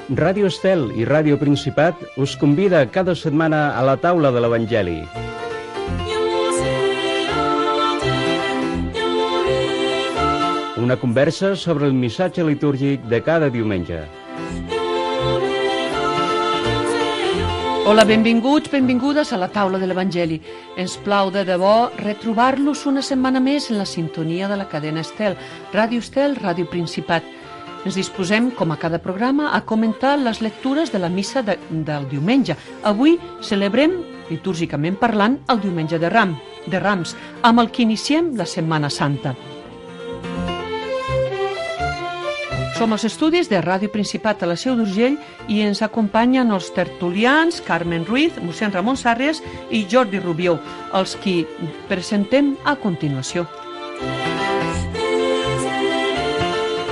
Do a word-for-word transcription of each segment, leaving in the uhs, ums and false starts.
Ràdio Estel i Ràdio Principat us convida cada setmana a la taula de l'Evangeli. Una conversa sobre el missatge litúrgic de cada diumenge. Hola, benvinguts, benvingudes a la taula de l'Evangeli. Ens plau de debò retrobar-los una setmana més en la sintonia de la cadena Estel, Ràdio Estel, Ràdio Principat. Ens disposem, com a cada programa, a comentar les lectures de la missa de, del diumenge. Avui celebrem, litúrgicament parlant, el diumenge de, Ram, de Rams, amb el que iniciem la Setmana Santa. Som als estudis de Ràdio Principat a la Seu d'Urgell i ens acompanyen els tertulians Carmen Ruiz, mossèn Ramon Sàrries i Jordi Rubió, els qui presentem a continuació.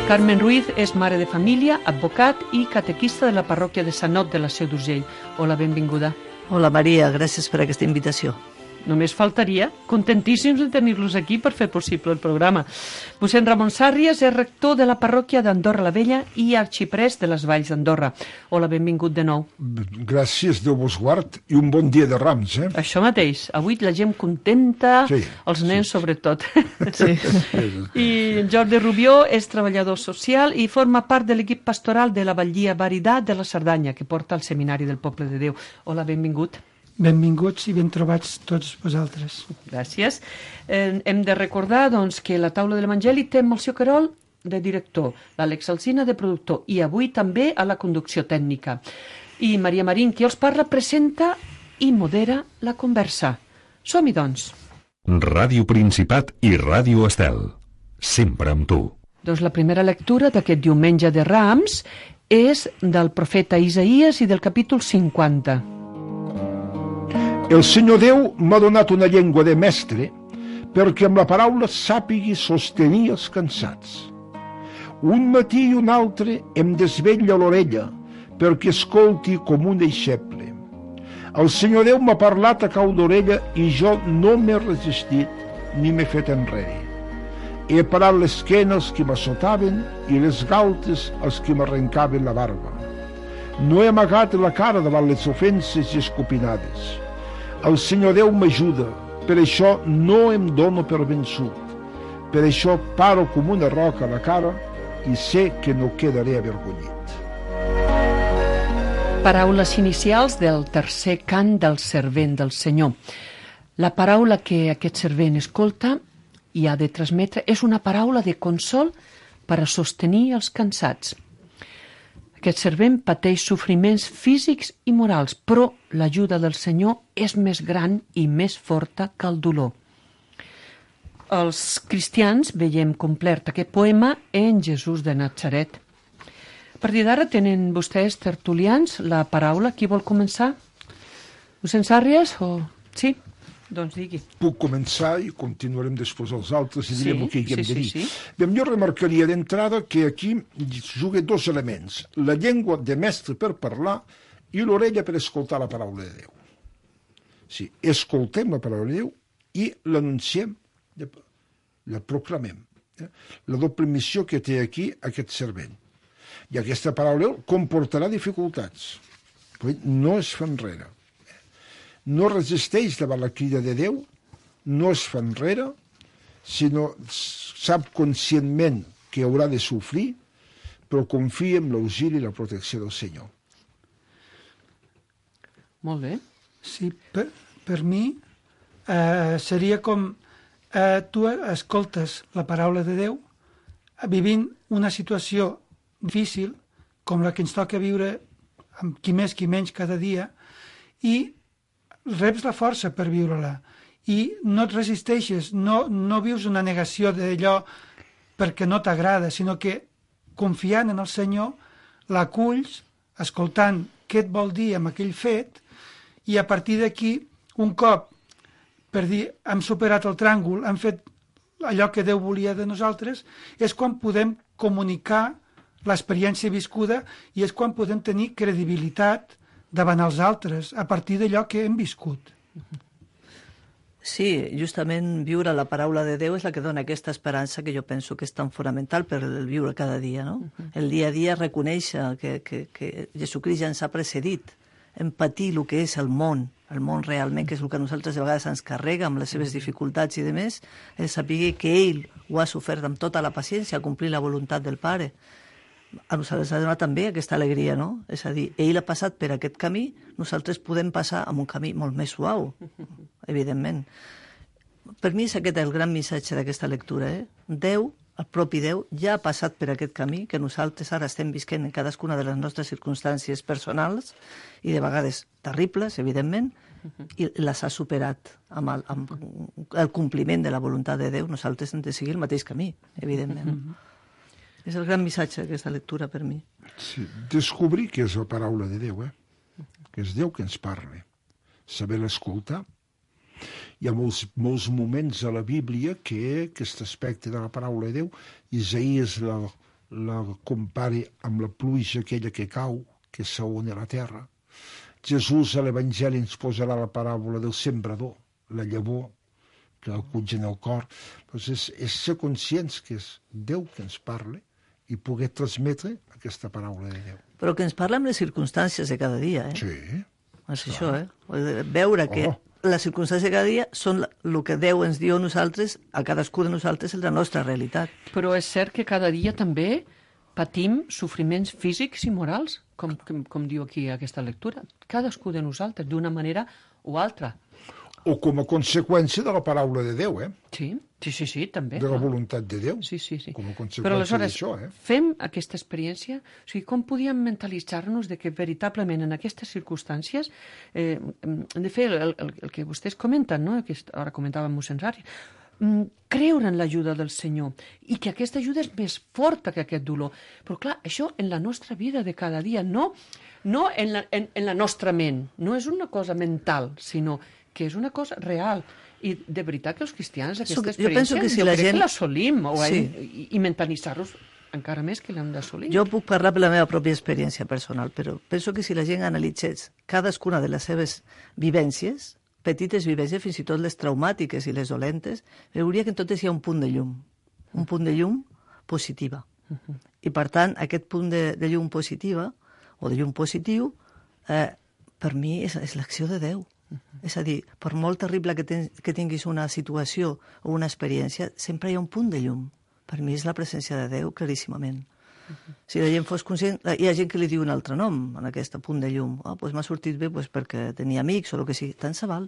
Carmen Ruiz és mare de família, advocat i catequista de la parròquia de Sant Ot de la Seu d'Urgell. Hola, benvinguda. Hola, Maria, gràcies per aquesta invitació. Només faltaria, contentíssims de tenir-los aquí per fer possible el programa. Mossèn Ramon Sàrries és rector de la parròquia d'Andorra la Vella i arxiprest de les Valls d'Andorra. Hola, benvingut de nou. Gràcies, Déu vos guard, i un bon dia de Rams, eh? Això mateix, avui la gent contenta, sí, els nens sí. sobretot. Sí. I Jordi Rubió és treballador social i forma part de l'equip pastoral de la Batllia Varidat de la Cerdanya, que porta al Seminari del Poble de Déu. Hola, benvingut. Benvinguts i ben trobats tots vosaltres. Gràcies. Eh, hem de recordar doncs, que la taula de l'Evangeli té Melcior Querol de director, l'Àlex Alsina de productor i avui també a la conducció tècnica. I Maria Marín, qui els parla, presenta i modera la conversa. Som-hi, doncs. Ràdio Principat i Ràdio Estel. Sempre amb tu. Doncs la primera lectura d'aquest diumenge de Rams és del profeta Isaïes i del capítol cinquanta. El Senyor Déu m'ha donat una llengua de mestre perquè amb la paraula sàpigui sostenir els cansats. Un matí i un altre em desvetlla l'orella perquè escolti com un deixeble. El Senyor Déu m'ha parlat a cau d'orella i jo no m'he resistit ni m'he fet enrere. He parat l'esquena als qui m'assotaven i les galtes als qui m'arrencaven la barba. No he amagat la cara davant les ofenses i escopinades. El Senyor Déu m'ajuda, per això no em dono per vençut. Per això paro com una roca a la cara i sé que no quedaré avergonyit. Paraules inicials del tercer cant del servent del Senyor. La paraula que aquest servent escolta i ha de transmetre és una paraula de consol per a sostenir els cansats. Aquest servent pateix sofriments físics i morals, però l'ajuda del Senyor és més gran i més forta que el dolor. Els cristians veiem complert aquest poema en Jesús de Natzaret. A partir d'ara tenen vostès tertulians la paraula. Qui vol començar? Mossèn Sàrries o... Sí? Doncs digui. Puc començar i continuarem després els altres i Sí, direm el que hi hem sí, de dir. sí, sí. Bé, jo remarcaria d'entrada que aquí juga dos elements. La llengua de mestre per parlar i l'orella per escoltar la paraula de Déu. Sí, escoltem la paraula de Déu i l'anunciem, la proclamem. Eh? La doble missió que té aquí aquest servent. I aquesta paraula de Déu comportarà dificultats, però no es fa enrere. No resisteix davant la crida de Déu, no es fa enrere, sinó sap conscientment que haurà de sofrir, però confia en l'auxili i la protecció del Senyor. Molt bé. Sí, per, per mi eh, seria com eh, tu escoltes la paraula de Déu vivint una situació difícil com la que ens toca viure amb qui més qui menys cada dia i reps la força per viure-la i no et resisteixes, no, no vius una negació d'allò perquè no t'agrada, sinó que confiant en el Senyor l'aculls, escoltant què et vol dir amb aquell fet i a partir d'aquí, un cop per dir hem superat el tràngol, hem fet allò que Déu volia de nosaltres, és quan podem comunicar l'experiència viscuda i és quan podem tenir credibilitat davant els altres, a partir d'allò que hem viscut. Sí, justament viure la paraula de Déu és la que dona aquesta esperança que jo penso que és tan fonamental per el viure cada dia, no? Uh-huh. El dia a dia reconèixer que, que, que Jesucrist ja ens ha precedit, empatir el que és el món, el món realment, que és el que a nosaltres de vegades ens carrega amb les seves dificultats i de més, és saber que ell ho ha sofert amb tota la paciència, a complir la voluntat del Pare. A nosaltres ha donat també aquesta alegria, no? És a dir, ell ha passat per aquest camí, nosaltres podem passar amb un camí molt més suau, evidentment. Per mi és aquest el gran missatge d'aquesta lectura, eh? Déu, el propi Déu, ja ha passat per aquest camí que nosaltres ara estem visquent en cadascuna de les nostres circumstàncies personals i de vegades terribles, evidentment, i les ha superat amb el, amb el compliment de la voluntat de Déu. Nosaltres hem de seguir el mateix camí, evidentment. És el gran missatge d'aquesta lectura per mi. Sí, descobrir que és la paraula de Déu, eh? Que és Déu que ens parla. Saber l'escoltar. Hi ha molts, molts moments a la Bíblia que aquest aspecte de la paraula de Déu, Isaías la, la compara amb la pluja aquella que cau, que s'aona a la terra. Jesús a l'Evangeli ens posarà la paràbola del sembrador, la llavor, que acull en el cor. Doncs és, és ser conscients que és Déu que ens parla i poder transmetre aquesta paraula de Déu. Però que ens parla amb les circumstàncies de cada dia, eh? Sí. És això, eh? Veure que oh. les circumstàncies de cada dia són el que Déu ens diu a nosaltres, a cadascú de nosaltres, en la nostra realitat. Però és cert que cada dia també patim sofriments físics i morals, com, com, com diu aquí aquesta lectura. Cadascú de nosaltres, d'una manera o altra. O com a conseqüència de la paraula de Déu, eh? Sí, sí, sí, sí també. De la voluntat de Déu. Sí, sí, sí. Com a conseqüència Però aleshores, d'això, eh? fem aquesta experiència, o sigui, com podíem mentalitzar-nos de que veritablement en aquestes circumstàncies, eh, de fer el, el, el que vostès comenten, no? Que ara comentava mossèn Sari, creure en l'ajuda del Senyor i que aquesta ajuda és més forta que aquest dolor. Però clar, això en la nostra vida de cada dia, no, no en, la, en, en la nostra ment, no és una cosa mental, sinó que és una cosa real. I de veritat que els cristians aquesta jo experiència penso que si jo la crec gent... que l'assolim o Sí. i, i mentalitzar-los encara més que l'hem d'assolir. Jo puc parlar per la meva pròpia experiència personal, però penso que si la gent analitzés cadascuna de les seves vivències, petites vivències, fins i tot les traumàtiques i les dolentes, veuria que en totes hi ha un punt de llum, un punt de llum positiva. Uh-huh. I per tant, aquest punt de, de llum positiva, o de llum positiu, eh, per mi és, és l'acció de Déu. Uh-huh. És a dir, per molt terrible que, ten, que tinguis una situació o una experiència, sempre hi ha un punt de llum. Per mi és la presència de Déu, claríssimament. Uh-huh. Si la gent fos conscient... Hi ha gent que li diu un altre nom en aquest punt de llum. Oh, doncs m'ha sortit bé doncs perquè tenia amics o el que sigui. Tant se val.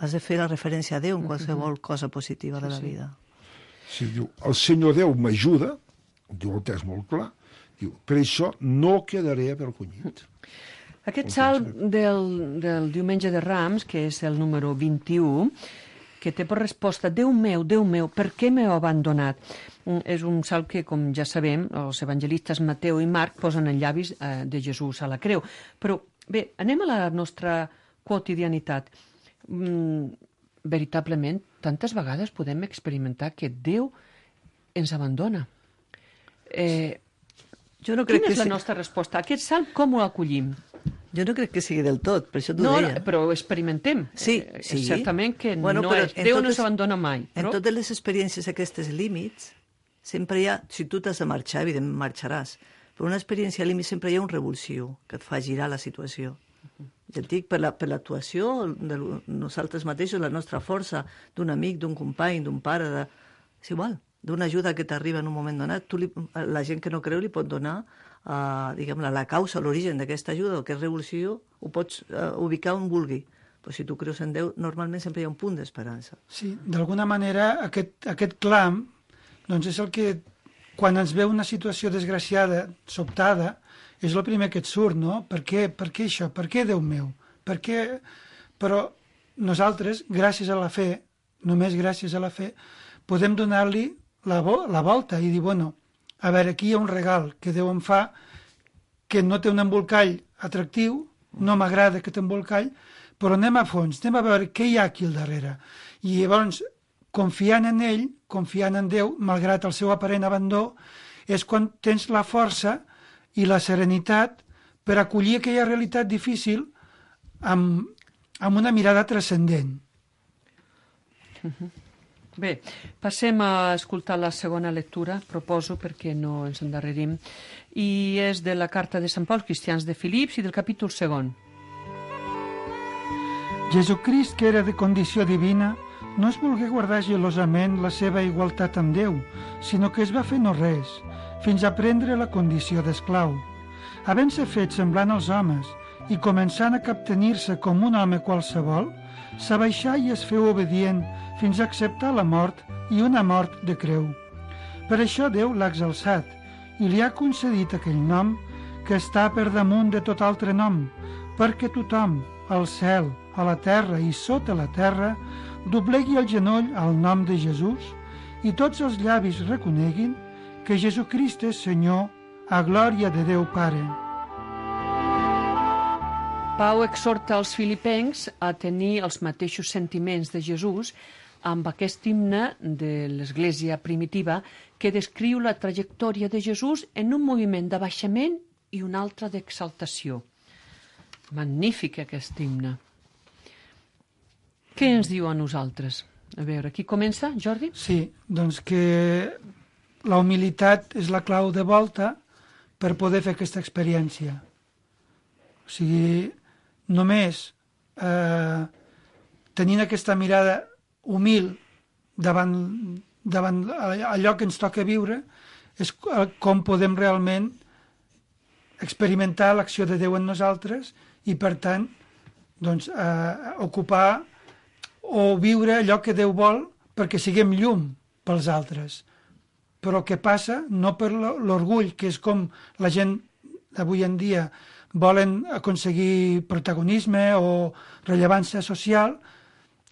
Has de fer la referència a Déu en qualsevol cosa positiva de la vida. Sí, diu, el Senyor Déu m'ajuda, diu el text molt clar, diu, per això no quedaré avergonyit. Aquest salm del, del diumenge de Rams, que és el número vint-i-u, que té per resposta Déu meu, Déu meu, per què m'heu abandonat? És un salm que, com ja sabem, els evangelistes Mateu i Marc posen en llavis eh, de Jesús a la creu. Però bé, anem a la nostra quotidianitat. Mm, veritablement, tantes vegades podem experimentar que Déu ens abandona. Eh, jo no crec quina que és la sí. nostra resposta? Aquest salm com ho acollim? Jo no crec que sigui del tot, per això t'ho no, deia. No, però ho experimentem. Sí, eh, sí. Certament que bueno, no és, totes, Déu no s'abandona mai. Però... Però... En totes les experiències aquestes límits, sempre hi ha, si tu t'has de marxar, evidentment marxaràs, però una experiència límit sempre hi ha un revulsiu que et fa girar la situació. Uh-huh. Ja et dic, per l'actuació la, de nosaltres mateixos, la nostra força, d'un amic, d'un company, d'un pare, de... és igual, d'una ajuda que t'arriba en un moment donat, tu li, la gent que no creu li pot donar Uh, diguem la, la causa, l'origen d'aquesta ajuda, o aquest revulsió, ho pots uh, ubicar on vulgui. Però si tu creus en Déu, normalment sempre hi ha un punt d'esperança. Sí, d'alguna manera aquest, aquest clam doncs és el que, quan ens ve una situació desgraciada, sobtada, és el primer que et surt, no? Per què, per què això? Per què, Déu meu? Per què? Però nosaltres, gràcies a la fe, només gràcies a la fe, podem donar-li la, vo la volta i dir, bueno, a veure, aquí hi ha un regal que Déu em fa, que no té un embolcall atractiu, no m'agrada aquest embolcall, però anem a fons, anem a veure què hi ha aquí al darrere. I llavors, confiant en ell, confiant en Déu, malgrat el seu aparent abandó, és quan tens la força i la serenitat per acollir aquella realitat difícil amb, amb una mirada transcendent. Bé, passem a escoltar la segona lectura, proposo, perquè no ens endarrerim, i és de la carta de Sant Pau als cristians de Filips i del capítol segon. Jesucrist, que era de condició divina, no es volgué guardar gelosament la seva igualtat amb Déu, sinó que es va fer no res, fins a prendre la condició d'esclau. Havent-se fet semblant als homes i començant a captenir-se com un home qualsevol, s'abaixà i es feu obedient fins a acceptar la mort i una mort de creu. Per això Déu l'ha exalçat i li ha concedit aquell nom que està per damunt de tot altre nom, perquè tothom, al cel, a la terra i sota la terra, doblegui el genoll al nom de Jesús i tots els llavis reconeguin que Jesucrist és Senyor, a glòria de Déu Pare. Pau exhorta els filipencs a tenir els mateixos sentiments de Jesús amb aquest himne de l'Església primitiva que descriu la trajectòria de Jesús en un moviment d'abaixament i un altre d'exaltació. Magnífic aquest himne. Què ens diu a nosaltres? A veure, qui comença, Jordi? Sí, doncs que la humilitat és la clau de volta per poder fer aquesta experiència. O sigui, només eh, tenint aquesta mirada humil davant, davant allò que ens toca viure és com podem realment experimentar l'acció de Déu en nosaltres i, per tant, doncs, eh, ocupar o viure allò que Déu vol perquè siguem llum pels altres. Però què passa? No per l'orgull, que és com la gent avui en dia volen aconseguir protagonisme o rellevància social,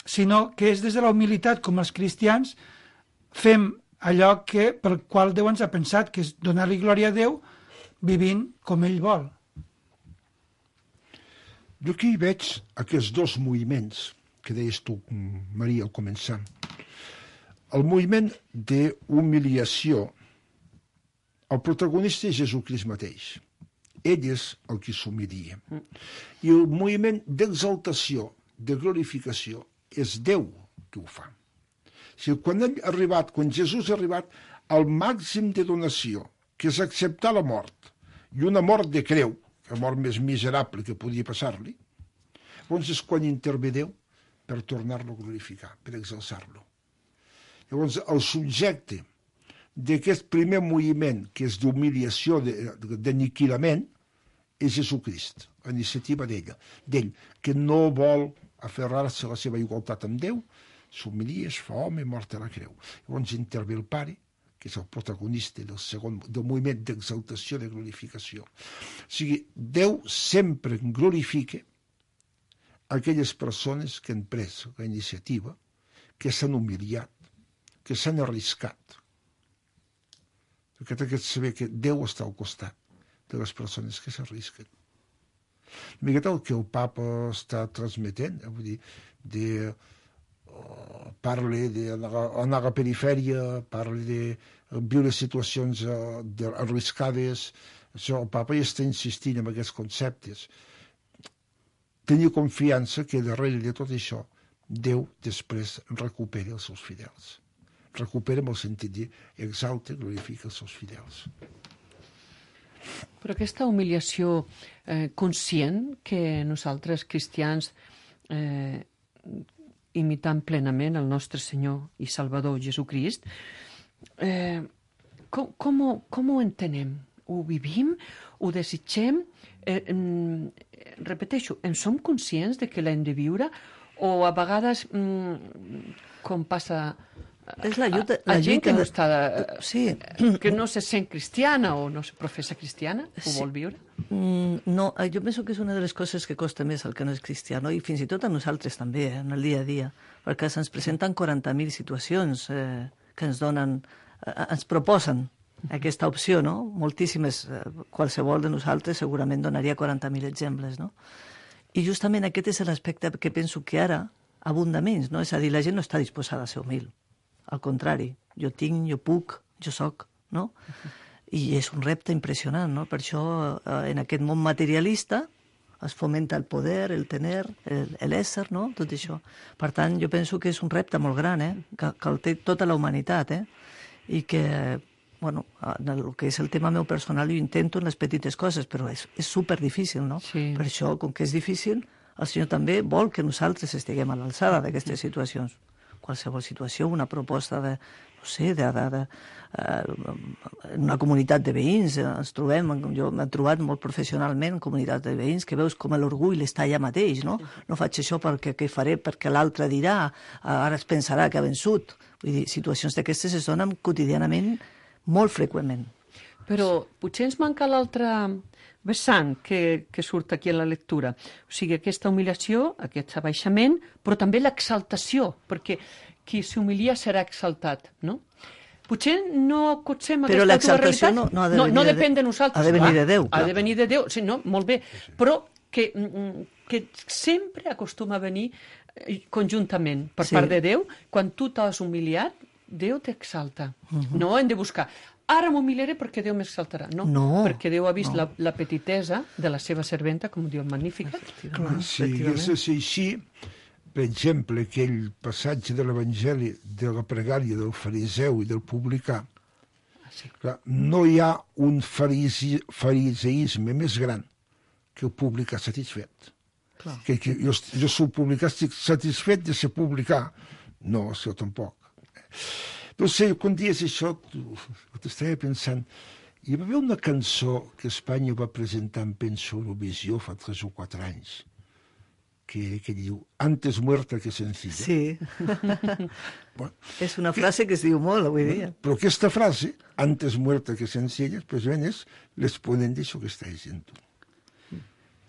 sinó que és des de la humilitat, com els cristians, fem allò que, pel qual Déu ens ha pensat, que és donar-li glòria a Déu vivint com ell vol. Jo aquí veig aquests dos moviments que deies tu, Maria, al començar. El moviment d'humiliació, el protagonista és Jesucrist mateix. Ell és el que s'humilia. I el moviment d'exaltació, de glorificació, és Déu que ho fa. O sigui, quan ell ha arribat, quan Jesús ha arribat al màxim de donació, que és acceptar la mort, i una mort de creu, la mort més miserable que podia passar-li, llavors és quan intervé Déu per tornar-lo a glorificar, per exalçar-lo. Llavors, el subjecte d'aquest primer moviment, que és d'humiliació, d'aniquilament, és Jesucrist, la iniciativa d'ell, d'ell, que no vol aferrar-se a la seva igualtat amb Déu, s'humilia, es fa home, mort a la creu. Llavors intervé el Pare, que és el protagonista del segon, del moviment d'exaltació, de glorificació. O sigui, Déu sempre glorifica aquelles persones que han pres la iniciativa, que s'han humiliat, que s'han arriscat. Perquè té que saber que Déu està al costat de les persones que s'arrisquen. Una miqueta el que el papa està transmetent, vull dir, de, uh, parla d'anar a la perifèria, parla de viure situacions uh, de, arriscades, això, el papa ja està insistint en aquests conceptes. Tenir confiança que darrere de tot això Déu després recupera els seus fidels. Recupera amb el sentit de exalta, glorifica els seus fidels. Però aquesta humiliació eh, conscient que nosaltres cristians, eh, imitant plenament el nostre Senyor i Salvador Jesucrist, eh, com, com, ho, com ho entenem? Ho vivim? Ho desitgem? Eh, eh, repeteixo, en som conscients de que l'hem de viure? O a vegades, mm, com passa... És la lluita, a, a la gent lluita, que no, està, sí. que no se sent cristiana o no se professa cristiana, ho Sí. vol viure? Mm, no, jo penso que és una de les coses que costa més al que no és cristià, no? I fins i tot a nosaltres també, eh, en el dia a dia, perquè se'ns presenten quaranta mil situacions eh, que ens donen, eh, ens proposen aquesta opció, no? Moltíssimes, eh, qualsevol de nosaltres segurament donaria quaranta mil exemples, no? I justament aquest és l'aspecte que penso que ara abunda menys, no? És a dir, la gent no està disposada a ser humil. Al contrari, jo tinc, jo puc, jo soc, no? I és un repte impressionant, no? Per això, eh, en aquest món materialista, es fomenta el poder, el tener, l'ésser, no? Tot això. Per tant, jo penso que és un repte molt gran, eh? que, que el té tota la humanitat, eh? I que, bueno, en el que és el tema meu personal, jo intento en les petites coses, però és, és superdifícil, no? Sí. Per això, com que és difícil, el Senyor també vol que nosaltres estiguem a l'alçada d'aquestes situacions. Qualsevol situació, una proposta de, no sé, de, de, de, uh, en una comunitat de veïns, ens trobem, jo m'he trobat molt professionalment en comunitat de veïns, que veus com l'orgull està allà mateix, no? No faig això perquè què faré, perquè l'altre dirà, ara es pensarà que ha vençut. Vull dir, situacions d'aquestes es donen quotidianament molt freqüentment. Però potser ens manca l'altre vessant que, que surt aquí en la lectura. O sigui, aquesta humiliació, aquest abaixament, però també l'exaltació, perquè qui s'humilia serà exaltat, no? Potser no acotsem però aquesta dues realitats. No, no, ha de no, no de, depèn de nosaltres. Ha de venir de Déu. Ha de venir de Déu, sí, no? Molt bé. Però que, que sempre acostuma a venir conjuntament per sí. part de Déu. Quan tu t'has humiliat, Déu t'exalta. Uh-huh. No hem de buscar ara m'humiliaré perquè Déu m'exaltarà. No, no, perquè Déu ha vist no. la, la petitesa de la seva serventa, com diu el Magnificat. Si hagués de ser així, per exemple, aquell passatge de l'Evangeli de la pregària del fariseu i del publicà, ah, sí. clar, no hi ha un farisi, fariseisme més gran que el publicà satisfet. Clar. Que, que jo, jo soc publicà, estic satisfet de ser publicà. No, això tampoc. No sé, quan dius això, t'estava pensant, hi va haver una cançó que Espanya va presentar en Penso Eurovisió fa tres o quatre anys, que, que diu, antes muerta que sencilla. Sí. Bueno, és una frase que es diu molt avui dia. Però aquesta frase, antes muerta que sencilla, precisament és l'exponent d'això que estàs dient tu.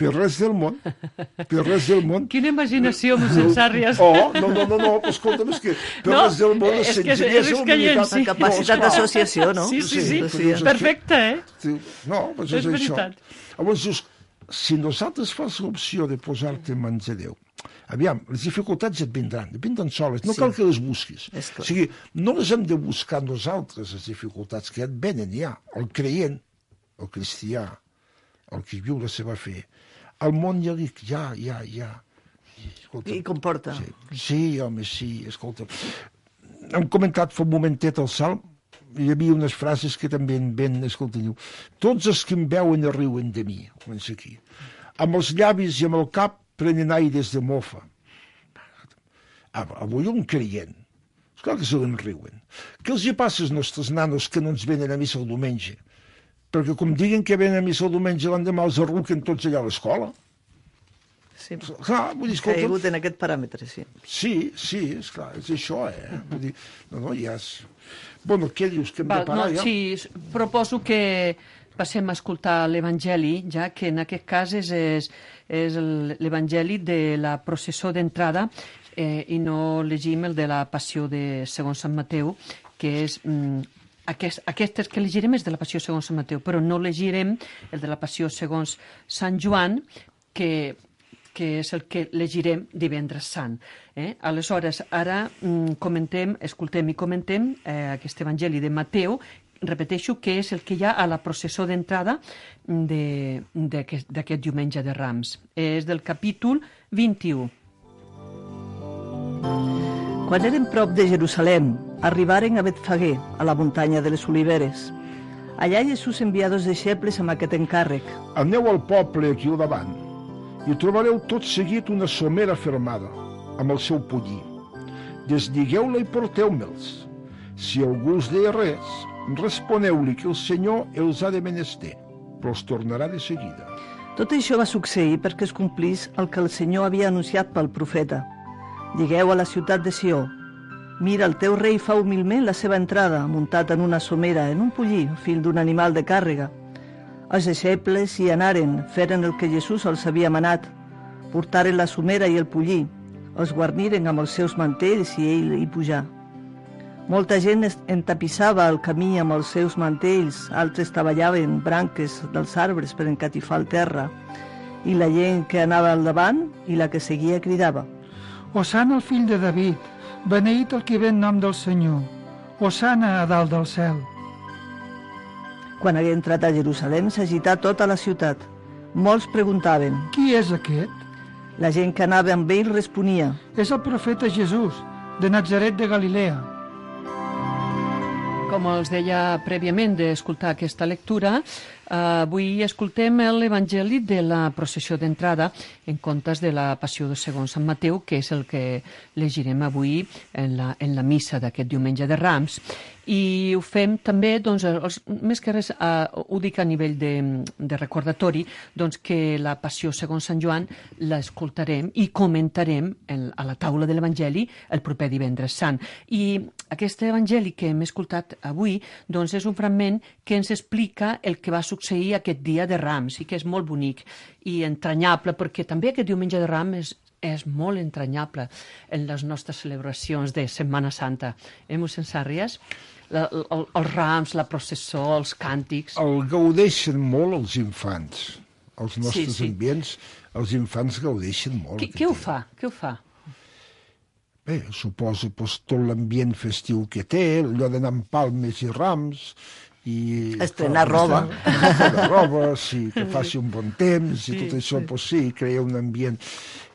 Per res del món, per res del món... Quina imaginació, mossèn Sàrries. Oh, no, no, no, no, però escolta'm, és que per no, res del món és és que, és que hi ha, sí. La capacitat no, d'associació, no? Sí, sí, sí, sí, sí. sí. Perfecte, eh? No, doncs és, és això. veritat. Llavors, just, si nosaltres fas l'opció de posar-te en mans de Déu, aviam, les dificultats et vindran, et vindran soles, no sí. cal que les busquis. O sigui, no les hem de buscar nosaltres, les dificultats que et venen ja, el creient, el cristià, el que viu la seva fe, el món ja dic, ja, ja, ja. Escolta, I comporta. Sí, sí, home, sí, escolta. Hem comentat fa un momentet el Salm, hi havia unes frases que també en ven, escolta, diu, tots els que em veuen i riuen de mi, comença aquí. Amb els llavis i amb el cap prenen aires de mofa. Avui un creient, esclar que se riuen. Què els hi passa als nostres nanos que no ens venen a missa el diumenge? Perquè com diguen que venen a missa el diumenge, l'endemà els arruquen tots allà a l'escola. Sí, clar, vull dir, escolta... caigut en aquest paràmetre, sí. Sí, sí, esclar, és això, eh? Vull dir, no, no, ja és... Bueno, què dius, que hem Val, de parar, no, ja? Sí, proposo que passem a escoltar l'Evangeli, ja que en aquest cas és, és, és l'Evangeli de la processó d'entrada eh, i no llegim el de la passió de segons Sant Mateu, que és... Mm, Aquest, aquestes que llegirem és de la passió segons Sant Mateu, però no llegirem el de la passió segons Sant Joan, que, que és el que llegirem divendres sant. Eh? Aleshores, ara mm, comentem, escoltem i comentem eh, aquest Evangeli de Mateu, repeteixo que és el que hi ha a la processó d'entrada d'aquest diumenge de Rams. És del capítol vint-i-u. Quan eren prop de Jerusalem, arribaren a Betfagé, a la muntanya de les Oliveres. Allà Jesús envia dos deixebles amb aquest encàrrec. Aneu al poble aquí al davant i trobareu tot seguit una somera fermada, amb el seu pollí. Desligueu-la i porteu-me'ls. Si algú us deia res, responeu-li que el Senyor els ha de menester, però els tornarà de seguida. Tot això va succeir perquè es complís el que el Senyor havia anunciat pel profeta. Digueu a la ciutat de Sió, mira, el teu rei fa humilment la seva entrada, muntat en una somera, en un pollí, fill d'un animal de càrrega. Els deixebles hi anaren, feren el que Jesús els havia manat, portaren la somera i el pollí, els guarniren amb els seus mantells i ell hi pujà. Molta gent entapissava el camí amb els seus mantells, altres treballaven branques dels arbres per encatifar el terra, i la gent que anava al davant i la que seguia cridava: Osana el fill de David, beneït el que ve en nom del Senyor, Osana a dalt del cel. Quan hagué entrat a Jerusalem s'agità tota la ciutat. Molts preguntaven. Qui és aquest? La gent que anava amb ell responia. És el profeta Jesús, de Natzaret de Galilea. Com els deia prèviament d'escoltar aquesta lectura, eh, avui escoltem l'Evangeli de la processió d'entrada en comptes de la passió de segons Sant Mateu, que és el que llegirem avui en la, en la missa d'aquest diumenge de Rams. I ho fem també, doncs, els, més que res, eh, ho dic a nivell de, de recordatori, doncs que la passió segons Sant Joan l'escoltarem i comentarem en, a la taula de l'Evangeli el proper divendres sant. I aquest Evangeli que hem escoltat avui, doncs és un fragment que ens explica el que va succeir aquest dia de Rams i que és molt bonic i entranyable, perquè també aquest diumenge de Rams és és molt entranyable en les nostres celebracions de Setmana Santa. Eh, mossèn Sàrries? La, el, els rams, la processó, els càntics... El gaudeixen molt els infants. Els nostres Sí, sí. ambients, els infants gaudeixen molt. Qui, aquest qui ho dia. fa? Qui ho fa? Bé, suposo pues, tot l'ambient festiu que té, allò d'anar amb palmes i rams, i Estrenar roba. estrenar roba, sí, que faci un bon temps, i Sí, tot això, sí. pues, sí, crea un ambient.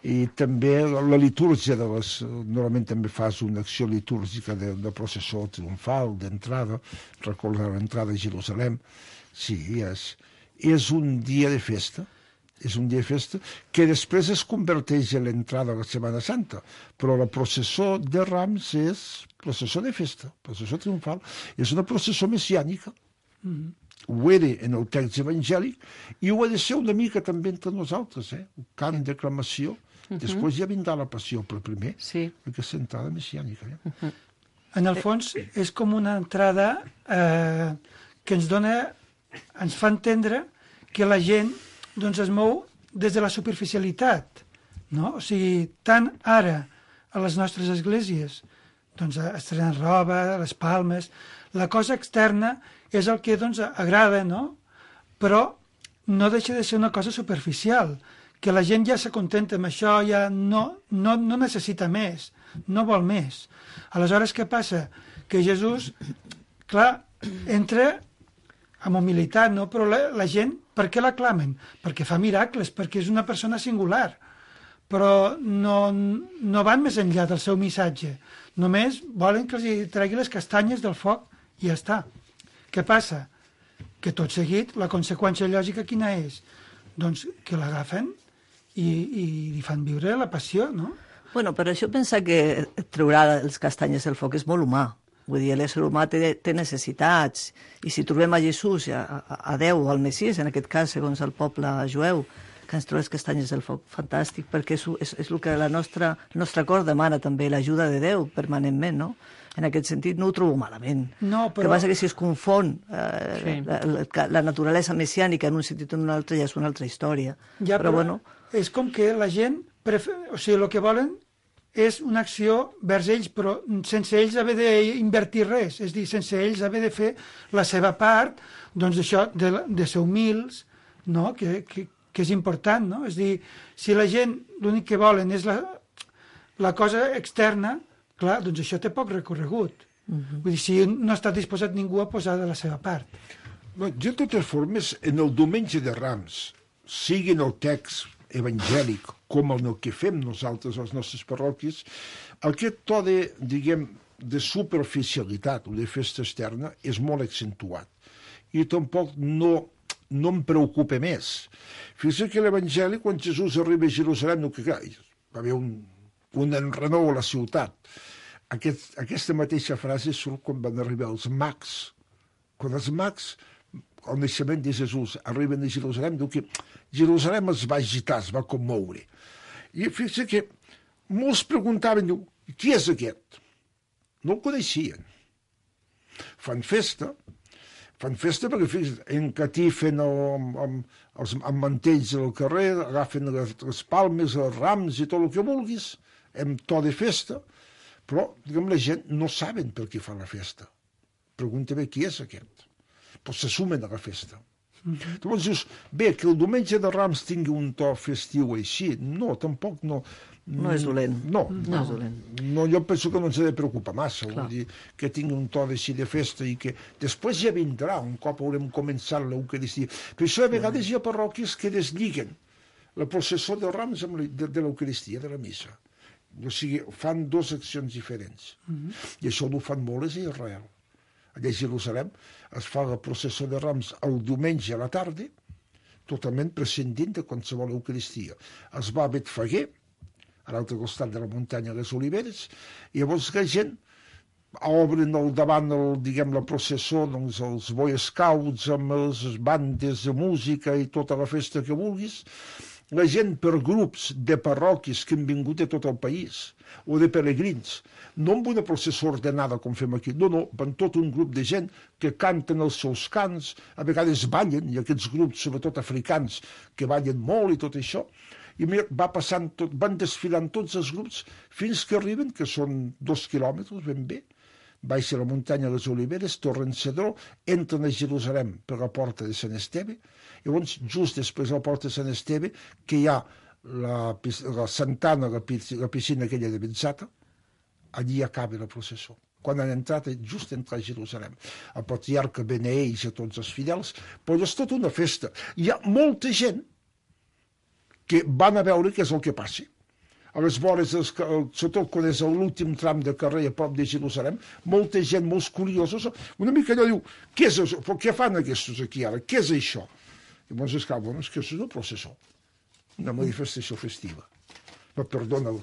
I també la litúrgia de les... Normalment també fas una acció litúrgica de, de processó triomfal, d'entrada, recordar l'entrada a Jerusalem. Sí, és, és un dia de festa, és un dia de festa que després es converteix en l'entrada a la Setmana Santa, però la processó de Rams és processó de festa, processó triomfal, és una processó messiànica. Mm-hmm. Ho era en el text evangèlic i ho ha de ser una mica també entre nosaltres, eh? Un cant d'aclamació. Uh-huh. Després ja vindrà la passió, però primer Sí. aquesta entrada messiànica. Eh? Uh-huh. En el fons, és com una entrada eh, que ens dona, ens fa entendre que la gent doncs, es mou des de la superficialitat. No? O sigui, tant ara a les nostres esglésies, doncs, estrenant roba, les palmes, la cosa externa és el que doncs, agrada, no? Però no deixa de ser una cosa superficial, que la gent ja s'acontenta amb això, ja no, no, no necessita més, no vol més. Aleshores, què passa? Que Jesús, clar, entra amb humilitat, no? Però la, la gent, per què l'aclamen? Perquè fa miracles, perquè és una persona singular. Però no, no van més enllà del seu missatge. Només volen que els tregui les castanyes del foc i ja està. Què passa? Que tot seguit, la conseqüència lògica quina és? Doncs que l'agafen i, i li fan viure la passió, no? Bueno, però això pensar que treurà els castanyes del foc és molt humà. Vull dir, l'ésser humà té, té necessitats. I si trobem a Jesús, a, a, a Déu, al Messies, en aquest cas, segons el poble jueu, que ens treu les castanyes del foc, fantàstic, perquè és, és, és el que la nostra, el nostre cor demana també, l'ajuda de Déu permanentment, no? En aquest sentit no ho trobo malament. No, però... El que passa que si es confon eh, Sí. la, la, la naturalesa messiànica en un sentit o en un altre ja és una altra història. Ja, però, però bueno, és com que la gent, prefer... o sigui, el que volen és una acció vers ells, però sense ells haver d'invertir res, és a dir, sense ells haver de fer la seva part, doncs això, de, de ser humils, no? que, que, que és important, no? És a dir, si la gent l'únic que volen és la, la cosa externa, clar, doncs això té poc recorregut. Uh-huh. Vull dir, si no està disposat ningú a posar de la seva part. No, de totes formes, en el diumenge de Rams, sigui en el text evangèlic com en el que fem nosaltres a les nostres parròquies, aquest to de, diguem, de superficialitat o de festa externa és molt accentuat. I tampoc no, no em preocupa més. Fixa't que l'Evangeli, quan Jesús arriba a Jerusalem, no, que clar, va haver un, un enrenou a la ciutat. Aquest, aquesta mateixa frase surt quan van arribar els mags. Quan els mags, al naixement de Jesús, arriben a Jerusalem, diu que Jerusalem es va agitar, es va commoure. I fixa't que molts preguntaven, diu, qui és aquest? No el coneixien. Fan festa, fan festa perquè fixa't, encatifen el, amb, amb, els, amb mantells al carrer, agafen les, les palmes, els rams i tot el que vulguis, amb to de festa, però diguem, la gent no saben per què fa la festa. Pregunta bé qui és aquest. Però se sumen a la festa. Mm-hmm. Llavors dius, bé, que el diumenge de Rams tingui un to festiu així, no, tampoc no, No és dolent. No, no, no, és dolent. no, jo penso que no ens ha de preocupar massa, vull dir, que tingui un to així de festa i que després ja vindrà, un cop haurem començat l'Eucaristia. Per això a vegades hi ha parròquies que deslliguen la processó de Rams amb la, de, de l'Eucaristia, de la missa. O sigui, fan dues accions diferents. Mm-hmm. I això ho fan molt a Israel. Allà a Jerusalem es fa la processó de Rams el diumenge a la tarda, totalment prescindint de qualsevol Eucaristia. Es va a Betfaguer, a l'altre costat de la muntanya de les Oliveres, i llavors la gent obren el davant el, diguem, la processó, doncs, els Boy Scouts amb les bandes de música i tota la festa que vulguis, la gent per grups de parròquies que han vingut de tot el país, o de peregrins, no amb una processó ordenada com fem aquí, no, no, van tot un grup de gent que canten els seus cants, a vegades ballen, i aquests grups, sobretot africans, que ballen molt i tot això, i va passant tot, van desfilant tots els grups fins que arriben, que són dos quilòmetres ben bé, baixa la muntanya de les Oliveres, tornen Cedró, entren a Jerusalem per la porta de Sant Esteve, i llavors just després de la porta de Sant Esteve, que hi ha la, la Santana, la, la piscina aquella de Benzata, allí acaba la processó. Quan han entrat, just entrar a Jerusalem. El patriarca beneeix a tots els fidels, però és tota una festa. Hi ha molta gent que van a veure què és el que passi. A les vores, sobretot quan és l'últim tram de carrer a prop de Jerusalem, molta gent, molts curiosos, una mica allò diu, què és això? Què fan aquests aquí ara? Què és això? I llavors es cau, bueno, és que és una processó, una manifestació festiva. Però perdona,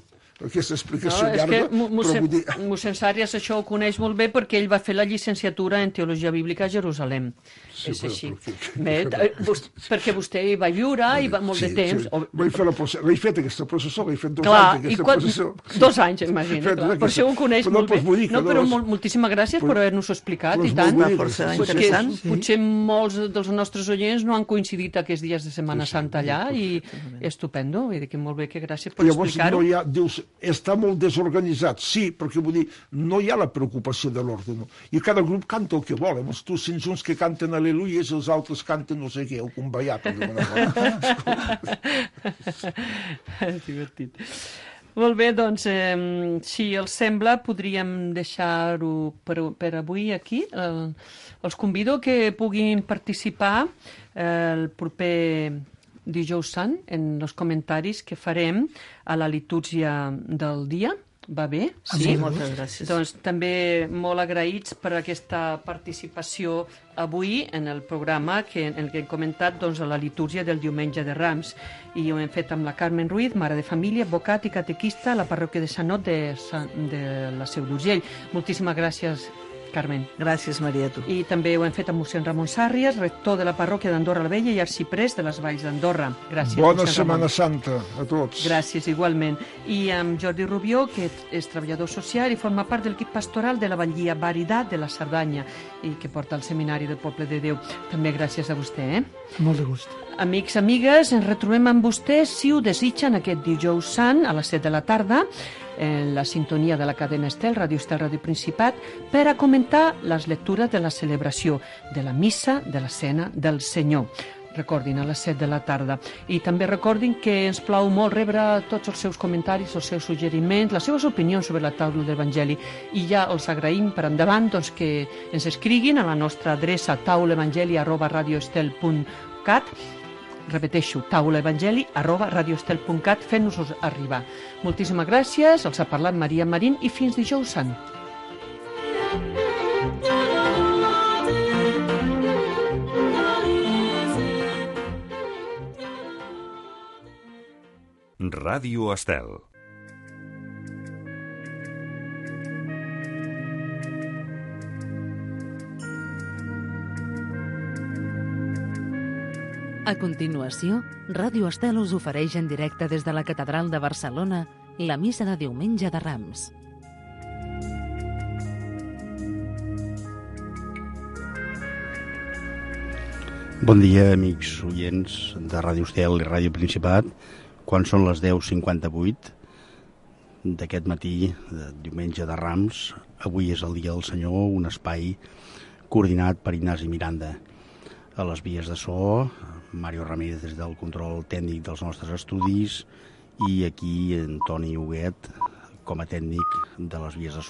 aquesta explicació no, llarga, és que mossèn, dir... mossèn Sàrries això ho coneix molt bé perquè ell va fer la llicenciatura en Teologia Bíblica a Jerusalem. Sí, és així. Perquè... Bé, vos, perquè vostè hi va viure i va molt sí, de temps. Sí. O... Vaig fer la processó, l'he fet aquesta processó, l'he fet dos clar, anys aquesta quan... processó. Dos anys, imagina, clar. Per això ho coneix però molt no, bé. No, però molt, moltíssimes gràcies per haver-nos explicat, i tant. Força Potser, interessant. potser molts dels nostres oients no han coincidit aquests dies de Setmana Santa allà, i estupendo, vull dir que molt bé, que gràcies per explicar-ho. No hi ha, dius, està molt desorganitzat, sí, perquè vull dir, no hi ha la preocupació de l'ordre, no? I cada grup canta el que vol, eh? Tu sents uns que canten al·leluies i els altres canten no sé què, el conveiat, per divertit. Molt bé, doncs, eh, si els sembla, podríem deixar-ho per, per avui aquí. Eh, els convido que puguin participar eh, el proper dijous sant en els comentaris que farem a la litúrgia del dia. Va bé? Sí, sí, moltes gràcies. Doncs també molt agraïts per aquesta participació avui en el programa que, en el que hem comentat doncs, la litúrgia del diumenge de Rams, i ho hem fet amb la Carmen Ruiz, mare de família, advocat i catequista a la parròquia de Sant Ot de, de la Seu d'Urgell. Moltíssimes gràcies, Carmen. Gràcies, Maria, a tu. I també ho hem fet amb mossèn Ramon Sàrries, rector de la parròquia d'Andorra la Vella i arxiprés de les Valls d'Andorra. Gràcies, bona mossèn Setmana Ramon. Santa a tots. Gràcies, igualment. I amb Jordi Rubió, que és treballador social i forma part del equip pastoral de la Batllia Veritat de la Cerdanya i que porta el Seminari del Poble de Déu. També gràcies a vostè, eh? Molt de gust. Amics, amigues, ens retrobem amb vostès, si ho desitgen, aquest dijous sant a les set de la tarda, en la sintonia de la cadena Estel, Ràdio Estel, Ràdio Principat, per a comentar les lectures de la celebració de la missa de la Cena del Senyor. Recordin, a les set de la tarda. I també recordin que ens plau molt rebre tots els seus comentaris, els seus suggeriments, les seves opinions sobre la taula d'Evangeli. I ja els agraïm per endavant doncs, que ens escriguin a la nostra adreça taulaevangeli arroba radioestel punt cat. Repeteixo, taulaevangeli arroba radioestel punt cat, fent-nos-los arribar. Moltíssimes gràcies, els ha parlat Maria Marín i fins dijous sant. Ràdio Estel. A continuació, Ràdio Estel us ofereix en directe des de la Catedral de Barcelona la missa de diumenge de Rams. Bon dia, amics oients de Ràdio Estel i Ràdio Principat. Quan són les deu cinquanta-vuit d'aquest matí, de diumenge de Rams, avui és el Dia del Senyor, un espai coordinat per Ignasi Miranda. A les vies de so, Mario Ramírez des del control tècnic dels nostres estudis i aquí en Toni Huguet com a tècnic de les vies de so.